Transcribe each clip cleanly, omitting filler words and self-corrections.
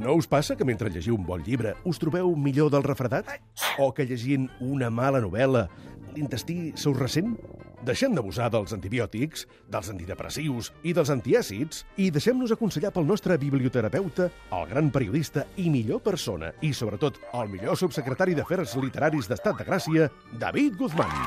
No us passa que mentre llegiu un bon llibre us trobeu millor del refredat? O que llegint una mala novel·la l'intestí se us ressent? Deixem d'abusar dels antibiòtics, dels antidepressius i dels antiàcids i deixem-nos aconsellar pel nostre biblioterapeuta, el gran periodista i millor persona i, sobretot, el millor subsecretari d'Afers Literaris d'Estat de Gràcia, David Guzmán.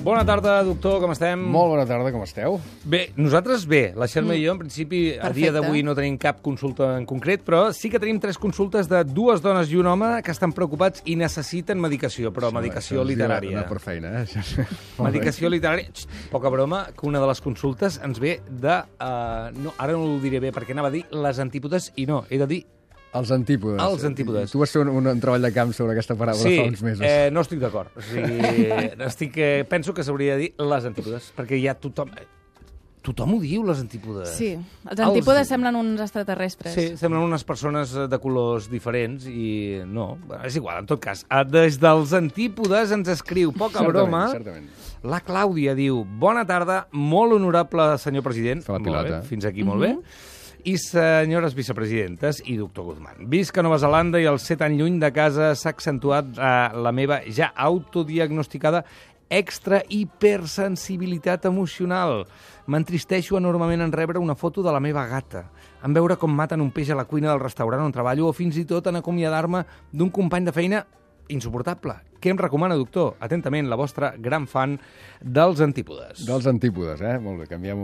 Bona tarda, doctor, com estem? Molt bona tarda, com esteu? Bé, nosaltres bé. La Xelma i jo, en principi, a dia d'avui no tenim cap consulta en concret, però sí que tenim 3 consultes de 2 dones i un home que estan preocupats i necessiten medicació, però medicació literària. No per feina, Medicació literària. Poca broma, que una de les consultes ens ve de... no, ara no ho diré bé, perquè anava a dir les antípodes i no, he de dir... Els antípodes. Els antípodes. Tu vas fer un treball de camp sobre aquesta paraula fa uns mesos. Sí, no estic d'acord. O sigui, penso que s'hauria de dir les antípodes, perquè ja tothom... Tothom ho diu, les antípodes. Sí, els antípodes semblen uns extraterrestres. Sí, semblen unes persones de colors diferents i no, és igual, en tot cas. Des dels antípodes ens escriu, poca broma, certament. La Clàudia diu: bona tarda, molt honorable senyor president. Fa la pilota. Molt bé, fins aquí molt bé. I senyores vicepresidentes i doctor Guzmán. Visc a Nova Zelanda i al ser tan lluny de casa s'ha accentuat la meva ja autodiagnosticada extra hipersensibilitat emocional. M'entristeixo enormement en rebre una foto de la meva gata, en veure com maten un peix a la cuina del restaurant on treballo o fins i tot en acomiadar-me d'un company de feina insuportable. Què em recomana, doctor? Atentament, la vostra gran fan dels antípodes. Dels antípodes, Molt bé, canviem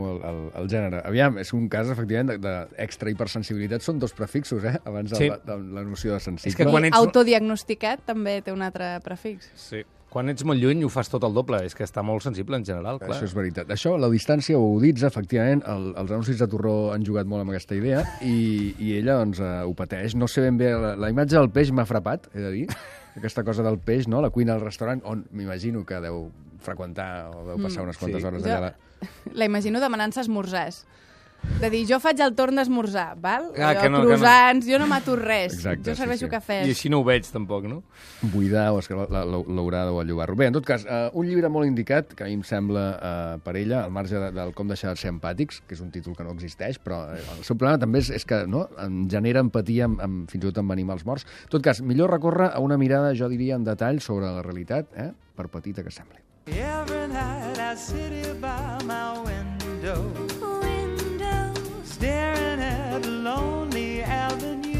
el gènere. Aviam, és un cas, efectivament, d'extra hipersensibilitat. Són 2 prefixos, abans de la noció de sensible. És que quan ets... Autodiagnosticat també té un altre prefix. Sí. Quan ets molt lluny ho fas tot el doble. És que està molt sensible en general, clar. Això és veritat. Això, la distància ho uditza, efectivament. Els anuncis de Torró han jugat molt amb aquesta idea i ella, doncs, ho pateix. No sé ben bé... La imatge del peix m'ha frapat, he de dir. Aquesta cosa del peix, no? La cuina del restaurant, on m'imagino que deu freqüentar o deu passar unes quantes hores allà. La imagino demanant-se esmorzars. De dir, jo faig el torn d'esmorzar, val? Croissants, jo no mato res. Exacte, jo serveixo cafès. I així no ho veig, tampoc, no? Buidar o l'haurà o allubar-lo. Bé, en tot cas, un llibre molt indicat, que a mi em sembla per ella, al marge del com deixar de ser empàtics, que és un títol que no existeix, però el seu problema també és que no, em genera empatia fins i tot amb animals morts. En tot cas, millor recórrer a una mirada, jo diria, en detall sobre la realitat, per petita que sembli. Every night I sit here by my window, staring at a lonely avenue.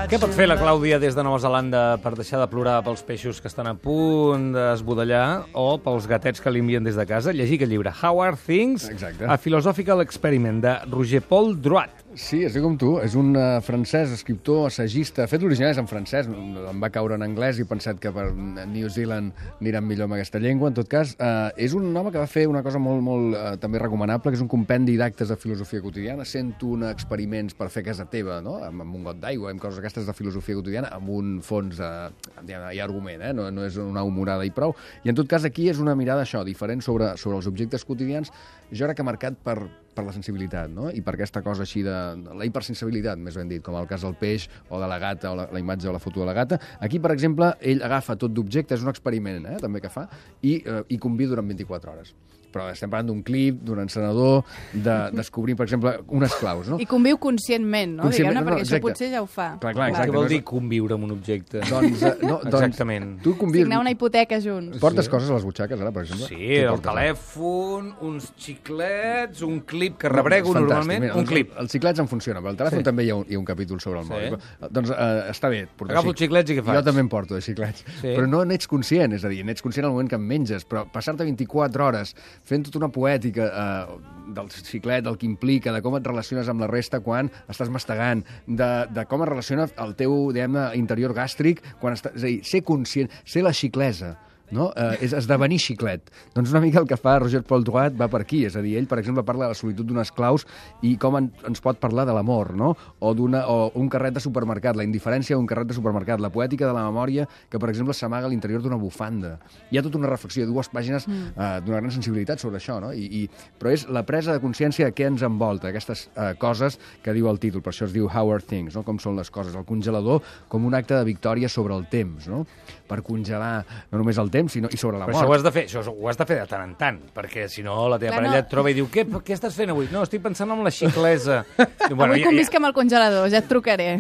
Què pot fer la Clàudia des de Nova Zelanda per deixar de plorar pels peixos que estan a punt d'esbudellar o pels gatets que li envien des de casa? Llegir aquest llibre, How Are Things? Exacte. A Philosophical Experiment, de Roger Paul Drouat. Sí, és com tu. És un francès, escriptor, assagista. De fet, l'original és en francès. Em va caure en anglès i he pensat que per New Zealand aniran millor amb aquesta llengua. En tot cas, és un home que va fer una cosa molt també recomanable, que és un compendi d'actes de filosofia quotidiana. 101 experiments per fer a casa teva, no? Amb un got d'aigua, amb coses aquestes de filosofia quotidiana, amb un fons hi ha argument, no és una humorada i prou. I en tot cas, aquí és una mirada diferent sobre els objectes quotidians, jo crec que marcat per la sensibilitat, no? I per aquesta cosa així de la hipersensibilitat, més ben dit, com el cas del peix o de la gata, o la imatge o la foto de la gata. Aquí, per exemple, ell agafa tot d'objecte, és un experiment, també que fa, i conviu durant 24 hores. Però estem parlant d'un clip, d'un encenedor, de descobrir, per exemple, unes claus, no? I conviu conscientment, no? Diguem-ne, perquè això potser ja ho fa. Clar, exacte. Què vol dir conviure amb un objecte? Exactament. Tu signar una hipoteca junts. Portes coses a les butxaques, ara, per exemple? Sí, el telèfon, uns xiclets, un clip que rebrego normalment. Un clip. Els xiclets en funciona, però el telèfon també hi ha un capítol sobre el mòbil. Doncs està bé. Agafo els xiclets i què faig? Jo també em porto de xiclets. Però no n'ets conscient, és a dir, n'ets conscient al moment que em menges, però passar-te 24 hores fent tota una poètica del xiclet, del que implica, de com et relaciones amb la resta quan estàs mastegant, de com es relaciona el teu, diguem-ne, interior gàstric, quan estàs, és a dir, ser conscient, ser la xiclesa no? És esdevenir xiclet. Doncs una mica el que fa Roger Paul Drouet va per aquí, és a dir, ell, per exemple, parla de la solitud d'unes claus i com ens pot parlar de l'amor, no? O un carret de supermercat, la indiferència d'un carret de supermercat, la poètica de la memòria que, per exemple, s'amaga a l'interior d'una bufanda. Hi ha tota una reflexió de 2 pàgines d'una gran sensibilitat sobre això, no? Però és la presa de consciència de què ens envolta, aquestes coses que diu el títol, per això es diu How Are Things, no? Com són les coses. El congelador com un acte de victòria sobre el temps, no? Per congelar no només el temps, sinó i sobre la mort. Però això ho has de fer de tant en tant, perquè si no la teva parella et troba i diu què estàs fent avui? No, estic pensant en la xiclesa. Avui convisc amb el congelador, ja et trucaré.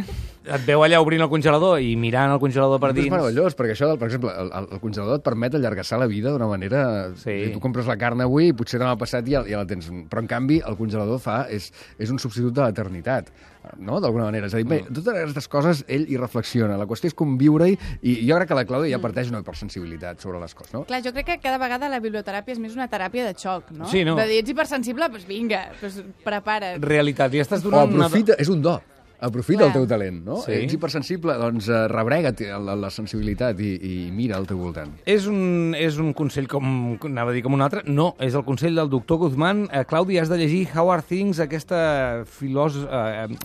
Et veu allà obrint el congelador i mirant el congelador per dins. És meravellós, perquè això, per exemple, el congelador et permet allargassar la vida d'una manera... Sí. Tu compres la carn avui i potser demà passat ja la tens. Però, en canvi, el congelador és un substitut de l'eternitat, no? D'alguna manera. És a dir, bé, totes aquestes coses ell hi reflexiona. La qüestió és conviure-hi i jo crec que la Clàudia ja parteix una hipersensibilitat sobre les coses, no? Clar, jo crec que cada vegada la biblioteràpia és més una teràpia de xoc, no? Sí, no? De dir, ets hipersensible, doncs vinga, doncs prepara't. Realitat, i estàs O donant aprofita, és un do. Aprofita el teu talent, no? Sí. Ets hipersensible, doncs rebrega't la sensibilitat i mira al teu voltant. És un consell, anava a dir com un altre, no, és el consell del doctor Guzmán. Clàudia, has de llegir How Are Things, aquest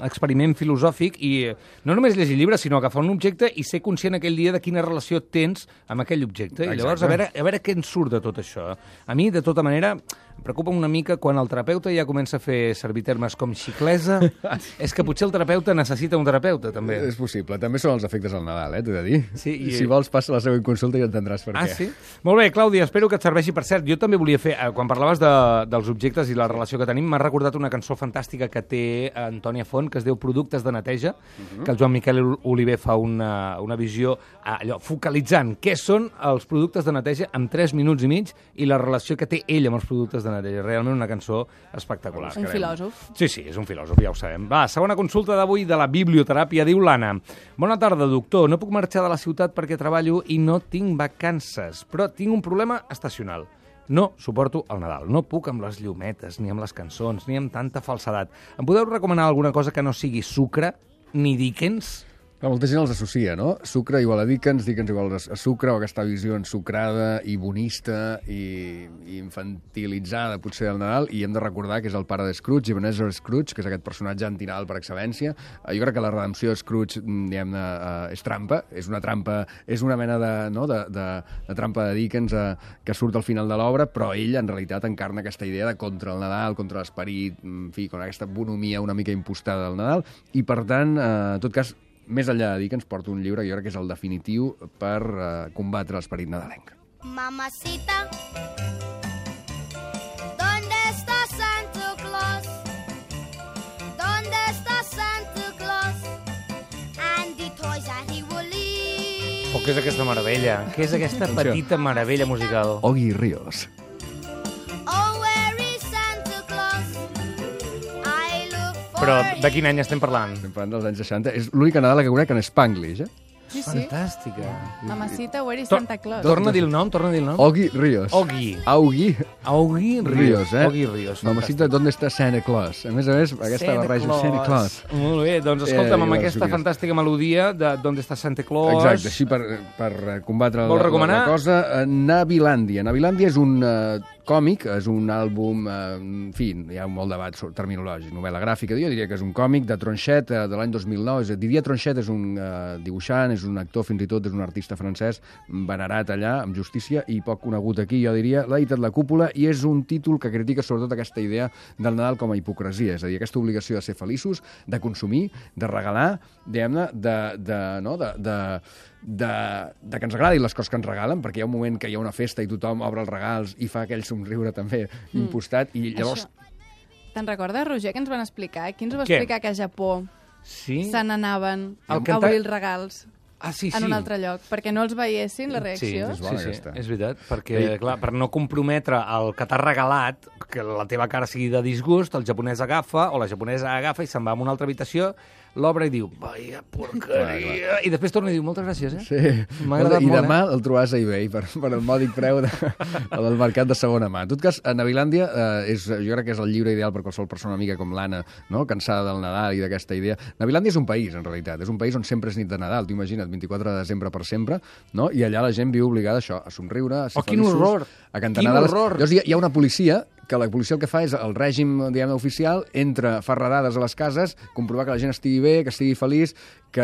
experiment filosòfic, i no només llegir llibres, sinó agafar un objecte i ser conscient aquell dia de quina relació tens amb aquell objecte. I llavors, a veure què en surt de tot això. A mi, de tota manera, em preocupa una mica quan el terapeuta ja comença a fer servir termes com xiclesa. És que potser el terapeuta necessita un terapeuta, també. És possible. També són els efectes del Nadal, t'he de dir. Sí, Si vols, passa la següent consulta i entendràs per què. Ah, sí? Molt bé, Clàudia, espero que et serveixi. Per cert, jo també volia fer, quan parlaves dels objectes i la relació que tenim, m'ha recordat una cançó fantàstica que té Antònia Font, que es diu Productes de neteja, que el Joan Miquel Oliver fa una visió allò focalitzant què són els productes de neteja en 3 minuts i mig i la relació que té ell amb els productes de neteja. Realment una cançó espectacular. Un filòsof. Sí, és un filòsof, ja ho sabem. Va, segona consulta d'avui de la biblioteràpia, diu l'Anna. Bona tarda, doctor. No puc marxar de la ciutat perquè treballo i no tinc vacances, però tinc un problema estacional. No suporto el Nadal. No puc amb les llumetes, ni amb les cançons, ni amb tanta falsedat. Em podeu recomanar alguna cosa que no sigui sucre ni Dickens? Clar, molta gent els associa, no? Sucre igual a Dickens igual a sucre, o aquesta visió ensucrada i bonista i infantilitzada, potser, del Nadal, i hem de recordar que és el pare de Scrooge, Ebenezer Scrooge, que és aquest personatge antinadal per excel·lència. Jo crec que la redempció de Scrooge, diguem-ne, és trampa, és una trampa, és una mena de trampa de Dickens que surt al final de l'obra, però ell, en realitat, encarna aquesta idea de contra el Nadal, contra l'esperit, en fi, con aquesta bonomia una mica impostada del Nadal, i, per tant, en tot cas, més enllà de dir que ens porta un llibre que jo crec que és el definitiu per combatre l'esperit nadalenc. Mamacita, ¿dónde está Santa Claus? ¿Dónde está Santa Claus? And the toys that he will leave. Oh, què és aquesta meravella? Què és aquesta petita meravella musical? Ogui Ríos. Però de quin any estem parlant? Estem parlant dels anys 60. És l'única Nadala que conec en Spanglish, Sí, Fantàstica. Mamacita, where is Santa Claus? Torna a dir el nom, Ogui Ríos. Ogui. Augi Ríos, Ogui Ríos. Mamacita, ¿dónde está Santa Claus? A més, aquesta barreja, Santa Claus. Molt bé, doncs escolta'm, amb aquesta fantàstica melodia de ¿Dónde está Santa Claus? Exacte, així per combatre recomanar? la cosa. Navilàndia. Navilàndia és un còmic, és un àlbum, en fi, hi ha molt debat terminològic, novel·la gràfica, jo diria que és un còmic de Tronchet de l'any 2009. Didier Tronchet és un dibuixant, és un actor, fins i tot és un artista francès venerat allà, amb justícia, i poc conegut aquí, jo diria. L'ha editat La Cúpula i és un títol que critica sobretot aquesta idea del Nadal com a hipocresia, és a dir, aquesta obligació de ser feliços, de consumir, de regalar, diguem-ne, de que ens agradin les coses que ens regalen, perquè hi ha un moment que hi ha una festa i tothom obre els regals i fa aquell somriure també impostat, i llavors... Te'n recordes, Roger, que ens van explicar? Qui ens va explicar que a Japó se n'anaven a obrir els regals en un altre lloc, perquè no els veiessin, la reacció? Sí, és veritat, perquè, clar, per no comprometre el que t'ha regalat, que la teva cara sigui de disgust, el japonès agafa, o la japonesa agafa i se'n va a una altra habitació, l'obre i diu, vaya porqueria, i després torna i diu, moltes gràcies, Sí. M'ha agradat I molt, demà el trobaràs a eBay per el mòdic preu del mercat de segona mà. En tot cas, a Navilàndia jo crec que és el llibre ideal per qualsevol persona amiga com l'Anna, no? Cansada del Nadal i d'aquesta idea. Navilàndia és un país, en realitat. És un país on sempre és nit de Nadal. Tu imagina't, 24 de desembre per sempre, no? I allà la gent viu obligada a això, a somriure, a ser quin feliços, horror! a cantar Quin Nadales. horror! Llavors hi ha una policia que la policia el que fa és el règim, diguem, oficial, fa redades a les cases, comprovar que la gent estigui bé, que estigui feliç, que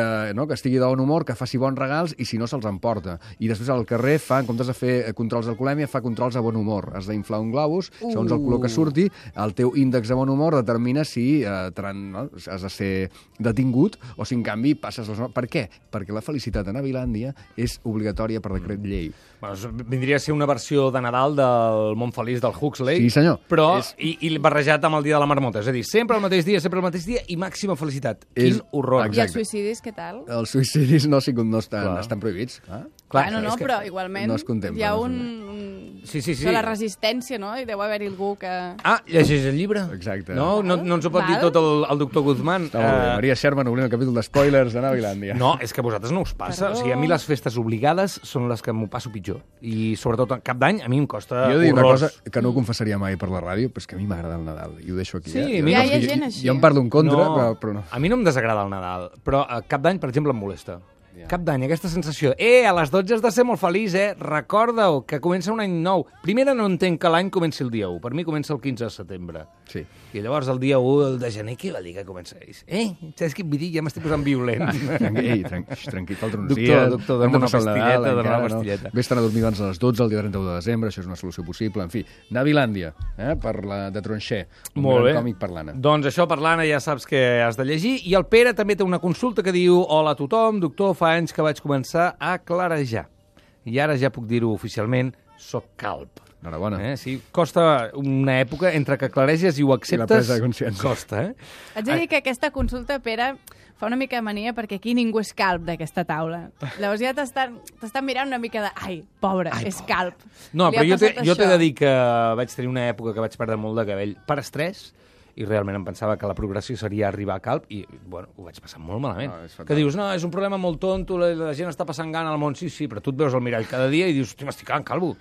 estigui de bon humor, que faci bons regals i, si no, se'ls emporta. I després al carrer en comptes de fer controls d'alcoholèmia, fa controls a bon humor. Has d'inflar un globus, segons el color que surti, el teu índex de bon humor determina si has de ser detingut o si, en canvi, passes les normes. Per què? Perquè la felicitat a Navilàndia és obligatòria per decret llei. Bueno, vindria a ser una versió de Nadal del Món Feliç del Huxley, Sí, senyor. però i barrejat amb el dia de la marmota. És a dir, sempre el mateix dia i màxima felicitat. Quin horror. I els suïcidis, què tal? Els suïcidis no estan prohibits. Clar, no, però igualment no es contempla, hi ha Sí. de la resistència, no? I deu haver-hi algú que... Llegeix el llibre. Exacte. No ens ho pot dir tot el doctor Guzmán. Està molt bé. Maria Sherman obrint el capítol d'espoilers de Navilàndia. No, és que a vosaltres no us passa. O sigui, a mi les festes obligades són les que m'ho passo pitjor. I sobretot Cap d'Any a mi em costa Jo dic una horrors. cosa que no confessaria mai per la ràdio, però és que a mi m'agrada el Nadal, i ho deixo aquí. Sí, eh? a mi hi ha gent així. Jo en parlo en contra, però no. A mi no em desagrada el Nadal, però a Cap d'Any, per exemple, em molesta. Cap d'Any, aquesta sensació, a les 12 has de ser molt feliç, recorda-ho, que comença un any nou. Primera, no entenc que l'any comenci el dia 1, per mi comença el 15 de setembre. Sí. I llavors el dia 1, el de gener, què va dir que començaris? Saps què et vull dir? Ja m'estic posant violent. Tranquil, falten uns dies. Doctor, dona una pastilleta, Vés-te'n a dormir abans de les 12, el dia 31 de desembre, això és una solució possible. En fi, Navilàndia, per la de Tronxer, un gran còmic per l'Anna. Doncs això per l'Anna ja saps que has de llegir. I el Pere també té una consulta que diu: hola a tothom, doctor, fa anys que vaig començar a clarejar. I ara ja puc dir-ho oficialment, soc calb. Enhorabona. Sí, costa una època entre que clareges i ho acceptes. I la presa de consciència. Costa, Haig de dir que aquesta consulta, Pere, fa una mica de mania perquè aquí ningú és calb d'aquesta taula. Llavors ja t'estan mirant una mica de... Ai, pobre, és calb. No, però jo t'he de dir que vaig tenir una època que vaig perdre molt de cabell per estrès, i realment em pensava que la progressió seria arribar a calb i, bueno, ho vaig passar molt malament. Que dius, no, és un problema molt tonto, la gent està passant gana al món, sí, però tu et veus al mirall cada dia i dius, hosti, m'estic quedant calvo.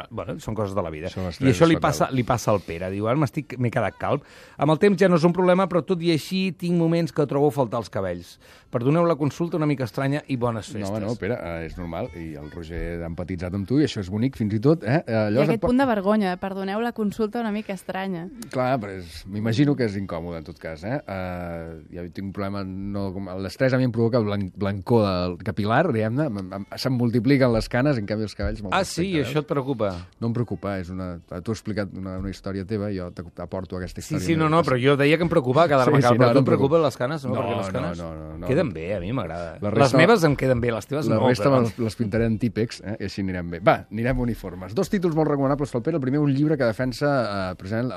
Bueno, són coses de la vida. I això li passa al Pere, diu, ara m'he quedat calb. Amb el temps ja no és un problema, però tot i així tinc moments que trobo a faltar els cabells. Perdoneu la consulta una mica estranya i bones festes. No, Pere, és normal, i el Roger ha empatitzat amb tu, i això és bonic, fins i tot. I aquest punt de vergonya, perdoneu la consulta una mica estranya. Clar, però m'imagino que és incòmode, en tot cas. Ja tinc un problema... L'estrès a mi em provoca blancor del capilar, diguem-ne, se'm multipliquen les canes, en canvi els cabells... Sí? Això et preocupa? No em preocupa, tu has explicat una història teva i jo t'aporto aquesta història. Sí, no, però jo deia que em preocupava quedar-me calb, però tu et preocupen les canes? No. Queden bé, a mi m'agrada. Les meves em queden bé, les teves no. La resta les pintaré en típex, i així anirem bé. Va, anirem uniformes. 2 títols molt recomanables pel Pere. El primer, un llibre que defensa precisament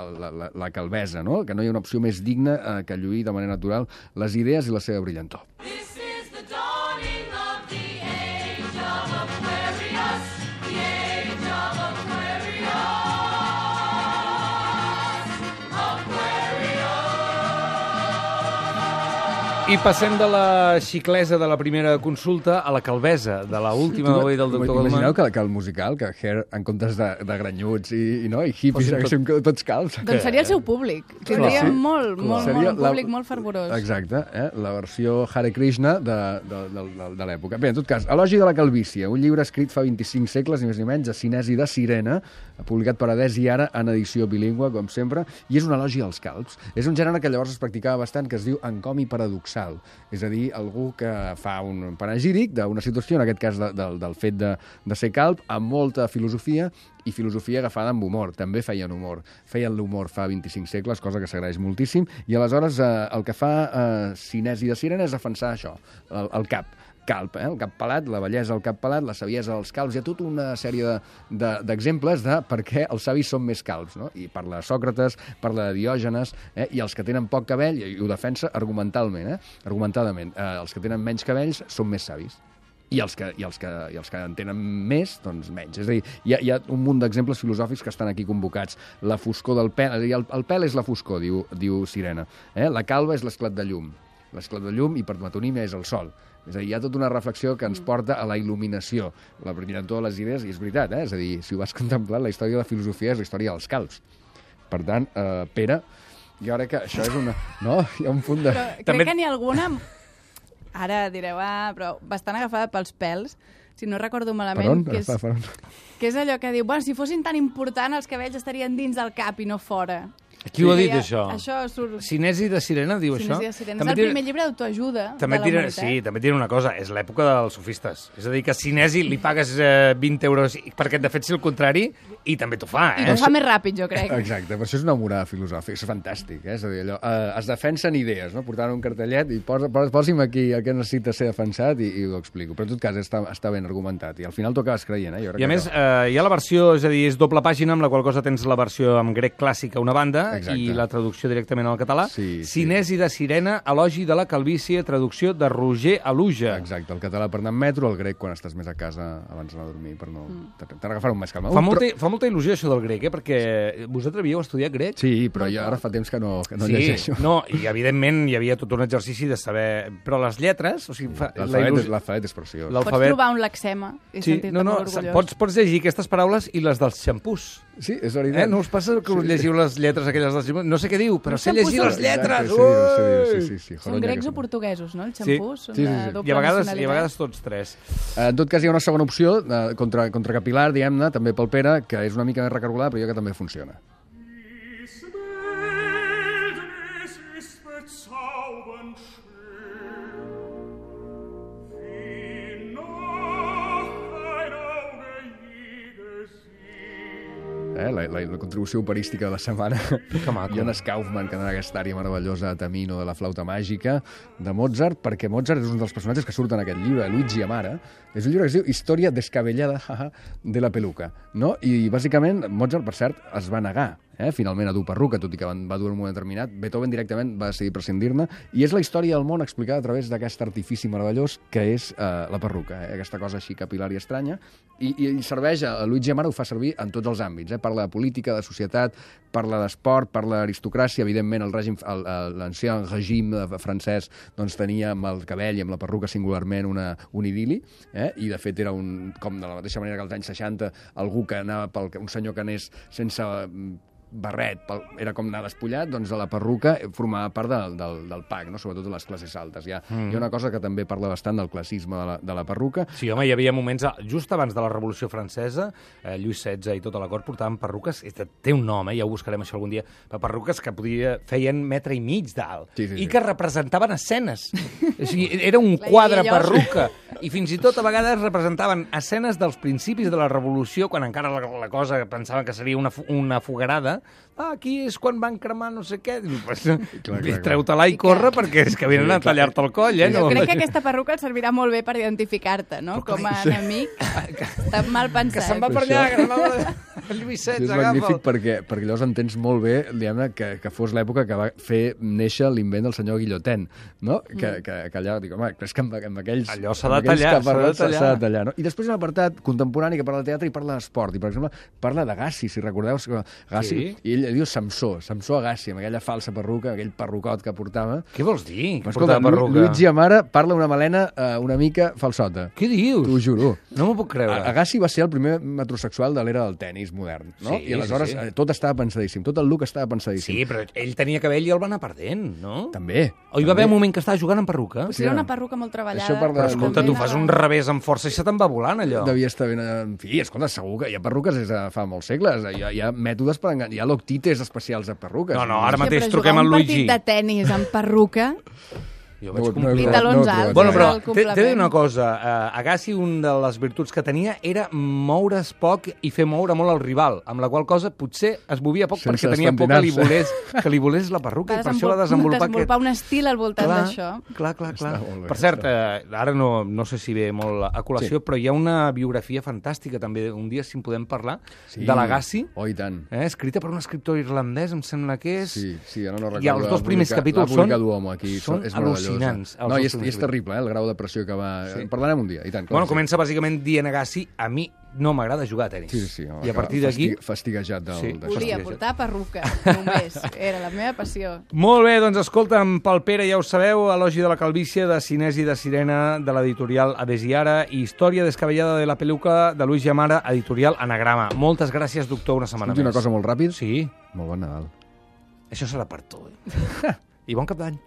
la calbesa, no? Que no hi ha una opció més digna que lluir de manera natural les idees i la seva brillantor. This is the dawning of the age of Aquarius, the age of Aquarius. I passem de la xiclesa de la primera consulta a la calbesa de l'última del doctor Goldman. Imagineu que el musical, que Hair, en comptes de granyuts i hippies, haguéssim tots calbs. Doncs seria el seu públic. Tindria un públic molt fervorós. Exacte, la versió Hare Krishna de l'època. Bé, en tot cas, Elogi de la calvície, un llibre escrit fa 25 segles, ni més ni menys, a Cinesi de Sirena, publicat per Adès i ara en edició bilingüe, com sempre, i és un elogi als calbs. És un gènere que llavors es practicava bastant, que es diu encomi paradoxal. És a dir, algú que fa un panegíric d'una situació, en aquest cas del fet de ser calb, amb molta filosofia, i filosofia agafada amb humor. També feien humor. Feien l'humor fa 25 segles, cosa que s'agraeix moltíssim, i aleshores el que fa Cinesi de Sirena és defensar això, el cap calb, el cap pelat, la bellesa del cap pelat, la saviesa dels calbs. Hi ha tota una sèrie d'exemples de per què els savis són més calbs, no? I parla de Sòcrates, parla de Diògenes, i els que tenen poc cabell, i ho defensa argumentadament. Els que tenen menys cabells són més savis. I els que en tenen més, doncs menys. És a dir, hi ha un munt d'exemples filosòfics que estan aquí convocats. La foscor del pèl, és a dir, el pèl és la foscor, diu Sirena. La calva és l'esclat de llum. l'esclat de llum, i per metonímia és el sol. És a dir, hi ha tota una reflexió que ens porta a la il·luminació, la brillantor de les idees, i és veritat, és a dir, si ho vas contemplar, la història de la filosofia és la història dels calbs. Per tant, Pere, jo crec que això és una... No? Hi ha un punt de... Però crec que n'hi ha alguna... Ara direu, però bastant agafada pels pèls, si no recordo malament, per on? Que és allò que diu, bueno, si fossin tan important els cabells estarien dins del cap i no fora. Qui ho ha dit, això? Això surt... Cinesi de Sirena diu això? Cinesi de Sirena. És el primer llibre d'autoajuda de la humanitat. Sí, també et diré una cosa, és l'època dels sofistes. És a dir, que a Cinesi li pagues 20 euros perquè de fet si el contrari, i també t'ho fa, I t'ho fa més ràpid, jo crec. Exacte, per això és una morada filosòfica, és fantàstic, és a dir, allò, es defensen idees, no? Portant un cartellet i posi'm aquí el que necessita ser defensat i ho explico. Però en tot cas està ben argumentat i al final t'ho acabes creient, Jo crec I a més, hi ha la versió, és a dir, és doble pàgina, amb la qual cosa tens la versió en grec clàssic a una banda. Exacte. I la traducció directament al català. Sí. Cinesi de Sirena, elogi de la calvície, traducció de Roger Aluja. Exacte, el català per anar en metro, el grec quan estàs més a casa abans d'anar a dormir, per no... T'agafar un més calma. Fa molta il·lusió això del grec, perquè vosaltres havíeu estudiat grec? Sí, però jo ara fa temps que no llegeixo. No, i evidentment hi havia tot un exercici de saber... Però les lletres... O sigui, l'alfabet és preciós. Pots trobar un lexema i sentir-te molt orgullós. Pots llegir aquestes paraules i les dels xampús. Sí, és veritat. No us passa que us llegiu les lletres aquelles dels xampús? No sé què diu, però sé llegir les lletres! Sí. Són grecs o portuguesos, no? Els xampús són de doble nacionalitat. I a vegades tots tres. En tot cas, hi ha una segona opció, contracapilar, diguem-ne, també pel Pere, que és una mica més recargolada, però jo que també funciona. La contribució operística de la setmana. Jonas Kaufmann, que en aquesta àrea meravellosa Tamino de la flauta màgica de Mozart, perquè Mozart és un dels personatges que surt en aquest llibre, Luigi Amara. És un llibre que es diu Història descabellada de la peluca, no? I bàsicament Mozart, per cert, es va negar finalment a dur perruca, tot i que va dur en un moment determinat. Beethoven directament va decidir prescindir-ne, i és la història del món explicada a través d'aquest artifici meravellós que és la perruca, aquesta cosa així capilar i estranya, i serveix, Luigi Amara ho fa servir en tots els àmbits, parla de política, de societat, parla d'esport, parla d'aristocràcia, evidentment l'ancien règim francès doncs tenia amb el cabell i amb la perruca singularment un idili, i de fet era com de la mateixa manera que als anys 60 algú que anava un senyor que anés sense barret, era com anar despullat, doncs la perruca formava part del pack, no? Sobretot de les classes altes. Hi ha una cosa que també parla bastant del classisme de la perruca. Sí, home, hi havia moments, just abans de la Revolució Francesa, Lluís XVI i tota la cort portaven perruques, té un nom, ja ho buscarem això algun dia, perruques que feien 1,5 metres d'alt, i que representaven escenes. O sigui, era un quadre perruca, i fins i tot a vegades representaven escenes dels principis de la Revolució, quan encara la cosa pensaven que seria una foguerada. Aquí és quan van cremar no sé què. Treu-te-la i corre, perquè és que venen a tallar-te el coll. Jo crec que aquesta perruca et servirà molt bé per identificar-te, no? Com a enemic. Està mal pensat. Que se'n va per allà, que anava el Lluís XVI, és magnífic perquè llavors entens molt bé, diguem-ne, que fos l'època que va fer néixer l'invent del senyor Guillotin, no? Que allà, dic, home, és que amb aquells... Allò s'ha de tallar, s'ha de tallar, no? I després un apartat contemporani que parla de teatre i parla d'esport, i per exemple parla d'Agassi, si recordeu, Agassi, i ell diu Samsó Agassi, amb aquella falsa perruca, aquell perrucot que portava. Què vols dir? Escolta, Luigi Amara parla una melena una mica falsota. Què dius? T'ho juro. No m'ho puc creure. Agassi va ser el primer metrosexual de l'era del tenis modern, no? Sí, i aleshores tot estava pensadíssim, tot el look estava pensadíssim. Sí, però ell tenia cabell i el va anar perdent, no? També. O hi va haver un moment que estava jugant amb perruca? Potser era una perruca molt treballada. Però escolta, tu fas un revés amb força i se te'n va volant, allò. Devia estar ben... En fi, escolta, segur que hi ha perruques des de fa molts segles. Hi ha mètodes per enganyar. Hi ha loctites especials de perruques. No, ara mateix truquem al Luigi. Però jugar un partit de tenis amb perruca... Jo vaig complir. I talons alts. Bueno, però t'he de dir una cosa. Agassi, una de les virtuts que tenia era moure's poc i fer moure molt el rival, amb la qual cosa potser es movia poc perquè tenia por que li volés la perruca, i per això va desenvolupar un estil al voltant d'això. Clar. Per cert, ara no sé si ve molt a col·lació, però hi ha una biografia fantàstica també, un dia si en podem parlar, de l'Agassi. Oh, i tant. Escrita per un escriptor irlandès, em sembla que és. Sí, ara no recordo. I els dos primers capítols són al·lucinants. No, i és terrible, el grau de pressió que va... En parlarem un dia, i tant. Bueno, comença bàsicament dient Agassi, a mi no m'agrada jugar a tenis. Sí, I a partir d'aquí... Fastiguejat d'això. Volia portar perruca, només. Era la meva passió. Molt bé, doncs escolta'm, pel Pere, ja ho sabeu, Elogi de la calvície, de Cinesi de Sirena, de l'editorial Adesiara, i Història descabellada de la peluca, de Luis Llamara, editorial Anagrama. Moltes gràcies, doctor, una setmana més. Una cosa molt ràpid? Sí. Molt bon Nadal. Això serà per tu. I bon cap d'any.